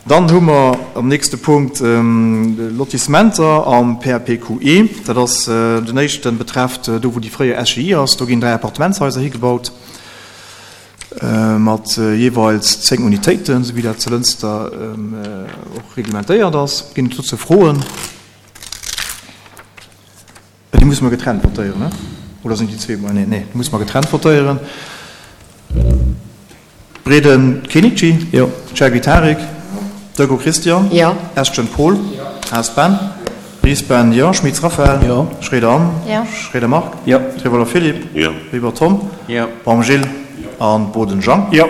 Dann hu mer am nächste Punkt Lotissementer am PAPQE. Dat ass den éischten, betrefft do wou déi fréier SGI ass. Do ginn 3 Appartementshaiser higebaut mat jeeweils 10 Unitéiten, esou wéi dat zu Lënster och reglementéiert ass. Ginn et dozou Froen? Déi musse mer getrennt votéieren, ne? Oder sinn déi zwee beieneen? Nee, déi musse mer getrennt votéieren. Breden Kenichi? Jo. Chergui Tarik? Jo. Deco Christian? Jo. Estgen Paul? Jo. Haas Ben? Jo. Ries Ben? Jo. Schmitz Raphaël? Jo. Schroeder Anne? Jo. Schroeder Marc? Jo. Trevoller Philippe? Jo. Weber Tom? Jo. Baum Gilles? Jo. An Boden Jean? Jo.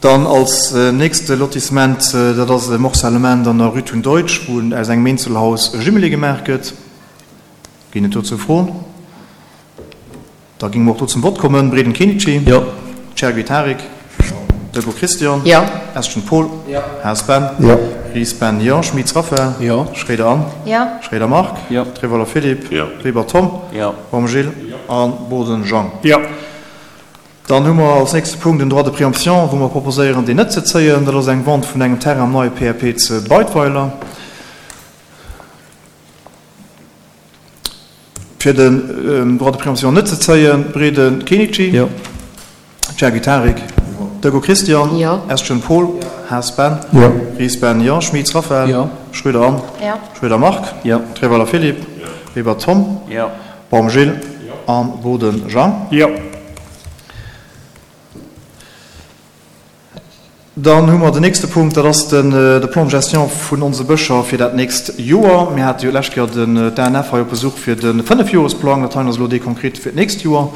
Dann als nächste Lotissement, dat ass e Morcellement an der Rue Tun Deutsch, wou aus engem Eenzelhaus e Jumelé gemaach gëtt. Ginn et dozou Froen? Da géinge mer och do zum Vott kommen. Breden Kenichi. Jo. Chergui Tarik. Jo. Deco Christian. Jo. Estgen Paul. Jo. Haas Ben. Jo. Ries Ben, jo. Schmitz Raphaël. Jo. Schroeder Anne. Jo. Schroeder Marc. Jo. Trevoller Philippe. Jo. Weber Tom. Jo. Baum Gilles. Jo. A Boden Jean. Jo. Dann hu mer als nächste Punkt den Droit de préemption, wou mer proposéieren, deen net ze zéien. Dat ass eng Vente vun engem Terrain am neie PAP ze Beidweiler. Fir den Droit de préemption net ze zéien, Breden Kenichi. Jo. Chergui Tarik. Jo. Deco Christian. Jo. Estgen Paul. Jo. Haas Ben. Jo. Ries Ben, jo. Schmitz Raphaël. Jo. Schroeder Anne. Jo. Schroeder Marc. Jo. Trevoller Philippe. Jo. Weber Tom. Jo. Baum Gilles. Jo. An Boden Jean. Jo. Dann hu mer den nächste Punkt, dat ass den de Plan de gestion vun onse Bëscher fir dat nächst Joer. Mir hate jo d'lescht Kéier den d'ANF hei op Besuch fir de Fënnefjoresplang. Dat heien ass elo dee konkret fir d'nächst Joer.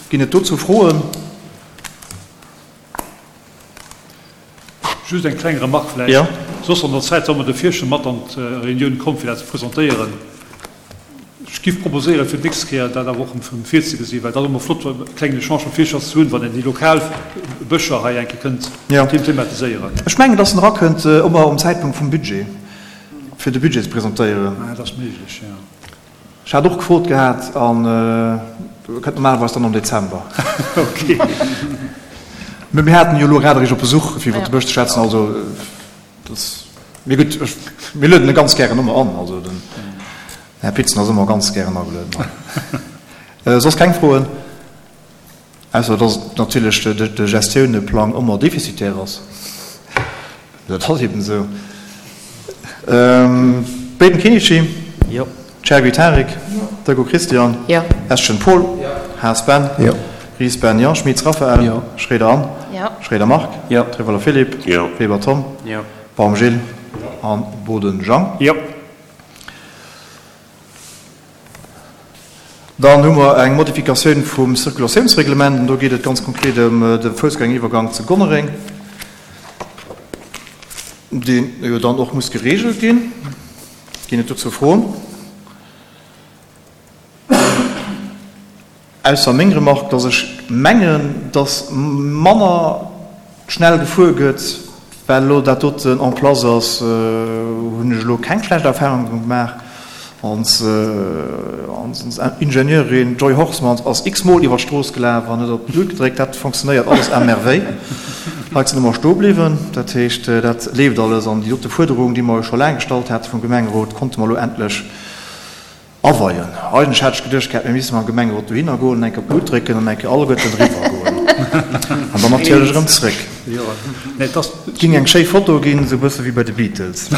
Ginn et dozou Froen? Just eng kleng Remarque vläicht. Jo. Soss an der Zäit soll mer de Fiesche mat an d'Reunioun kommen, fir dat ze presentéieren. Ech giff proposéieren, fir d'nächst Kéier dat awer och erëm virzegesinn, well et ass ëmmer flott, e klengen Echange mam Fiescher ze hunn, wann een déi lokal Bëscher hei eng Kéier kënnt thematiséieren. Ech mengen, dass en erakënnt ëmmer um Zäitpunkt vum Budget, fir de Budget ze presentéieren. Dat ass méiglech, jo. Ech hat och gefrot gehat an e kënnt normalerweis dann am Dezember. Ok. Mä mir haten jo elo grad eréischt op Besuch, fir iwwer de Bësch ze schwätzen, also. Das, mee gutt, ech, mir lueden e ganz gären ëmmer an. Also den Här Pitzen ass ëmmer ganz gären agelueden hei. Soss keng Froen? Ausser dass natierlech de, de Gestiouneplang ëmmer defizitär ass. Dat ass eben esou. Breden Kenichi. Jo. Chergui Tarik. Jo. Deco Christian. Jo. Eschen Paul. Jo. Haas Ben. Jo. Ries Ben, jo. Schmitz Raphaël. Jo. Schroeder Anne. Jo. Schroeder Marc. Jo. Trevoller Philippe. Jo. Weber Tom. Jo. Baum Gilles. Jo. An Boden Jean. Jo. Dann hu mer eng Modifikatioun vum Circulatiounsreglement. An do geet et ganz konkret ëm de Foussgängeriwwergank zu Gonnereng, deen jo dann och muss geregelt ginn. Ginn et dozou Froen? Ausser meng Remarque, dass ech mengen, dass manner schnell gefuer gëtt, well elo dat doten en place ass, hunn ech elo keng schlecht Erfahrungen gemaach. Ons Ingenieurin Joy Horsmans ass x-mol iwwer d'Strooss gelaf an huet op d'Lut gedréckt. Dat fonctionnéiert alles à merveille. D'Leit sinn ëmmer stoe bliwwen. Dat heescht, dat leeft alles. An déi dote Fuerderung, déi mer jo scho laang gestallt hate vum Gemengerot, konnte mer elo endlech Aweien. Eigentlech hat ech geduecht gehat, mir misste mam Gemengerot dohinner goen an eng Kéier op d'Lut drécken an eng Kéier alleguerten eriwwer goen. An dann natierlech erëm zréck. Et ging eng schéi Foto ginn, esou e bësse wéi bei de Beatles.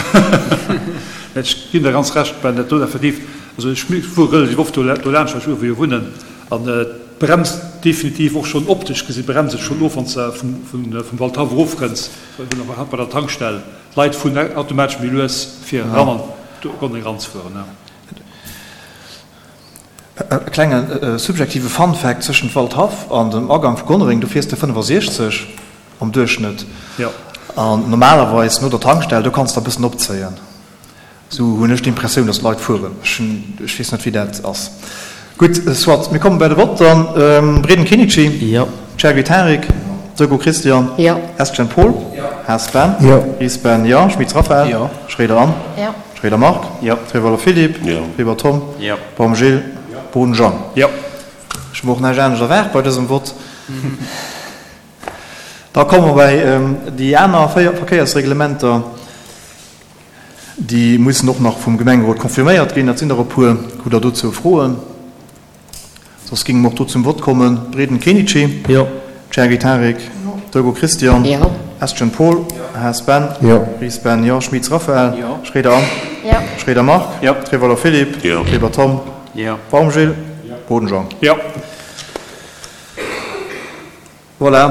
Ech ginn der ganz Recht, Ben, dat do effektiv, also ech fuere relativ oft do laanscht, well ech uewe jo wunnen, an et bremst definitiv och schonn optesch gesi bremst et schonn of, wann s de vum Waldhaff erofkënns, bei der Tankstell. D'Leit fueren automatesch méi lues, fir eran an d'Gonne eranzefueren. E klenge subjektive Fun Fact, Zwëschent Waldhaff an dem Agang vu Gonnereng, do fiers de 65 am Duerchschnëtt. An normalerweis no der Tankstell, do kanns de e bëssen opzéien. Esou hunn ech d'Impressioun, datt d'Leit fueren. Ech hunn, ech weess net, wéi dat ass. Gutt, soit, mir komme bei de Vott dann. Breden Kenichi. Jo. Chergui Tarik. Deco Christian. Jo. Estgen Paul. Jo. Haas Ben. Jo. Ries Ben, jo. Schmitz Raphaël. Jo. Schroeder Anne. Jo. Schroeder Marc. Jo. Trevoller Philippe. Jo. Weber Tom. Jo. Baum Gilles. Jo. Boden Jean. Jo. Ech hu mer och näischt anescht erwaart bei dësem Vott. Da komme mer bei déi aner Verkéiersreglementer. Déi mussen och nach vum Gemengerot confirméiert ginn. Dat sinn der e puer. Hutt Der dozou Froen? Soss géinge mer och do zum Vott kommen. Breden Kenichi. Jo. Chergy Tarik. Jo. Deugo Christian. Jo. Estgen Paul. Jo. Haas Ben. Jo. Ries Ben, jo. Schmitz Raphaël. Jo. Schroeder Anne. Jo. Schroeder Marc. Jo. Trevoller Philippe. Jo. Weber Tom. Jo. Baum Gilles. Jo. Boden Jean. Jo. Voilà.